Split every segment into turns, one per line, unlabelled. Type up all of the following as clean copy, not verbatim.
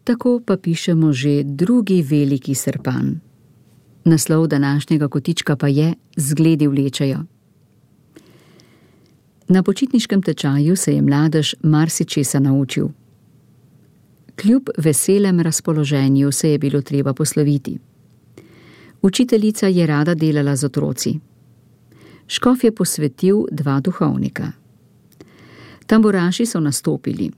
Tako pa pišemo že drugi veliki srpan. Naslov današnjega kotička pa je Zgledi vlečejo. Na počitniškem tečaju se je mladež marsičesa naučil. Kljub veselem razpoloženju se je bilo treba posloviti. Učiteljica je rada delala z otroci. Škof je posvetil 2 duhovnika. Tamburaši so nastopili.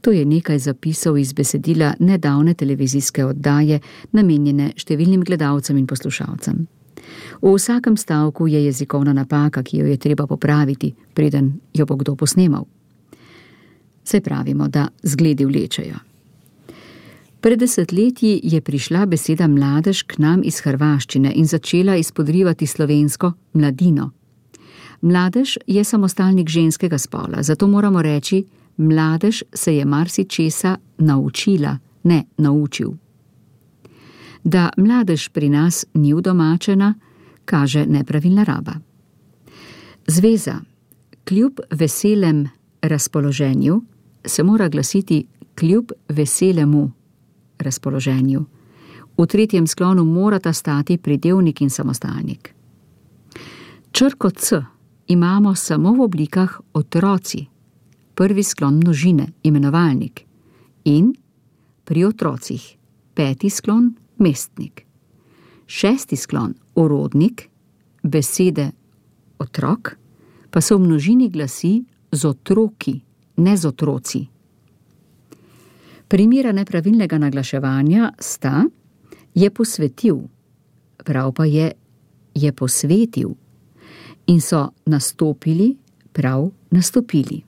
To je nekaj zapisov iz besedila nedavne televizijske oddaje, namenjene številnim gledalcem in poslušalcem. V vsakem stavku je jezikovna napaka, ki jo je treba popraviti, preden jo bo kdo posnemal. Saj pravimo, da zgledi vlečejo. Pred 10 leti je prišla beseda mladež k nam iz hrvaščine in začela izpodrivati slovensko mladino. Mladež je samostalnik ženskega spola, zato moramo reči, mladež se je marsičesa naučila, ne naučil. Da mladež pri nas ni udomačena, kaže nepravilna raba. Zveza kljub veselem razpoloženju se mora glasiti kljub veselemu razpoloženju. V 3. sklonu morata stati pridevnik in samostalnik. Črko C imamo samo v oblikah otroci, 1. sklon množine, imenovalnik, in pri otrocih, 5. sklon mestnik, 6. sklon urodnik, besede otrok pa so v množini glasi z otroki, ne z otroci. Primera nepravilnega naglaševanja sta je posvetil, prav pa je posvetil, in so nastopili, prav nastopili.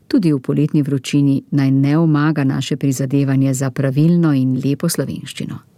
Tudi v poletni vročini naj ne omaga naše prizadevanje za pravilno in lepo slovenščino.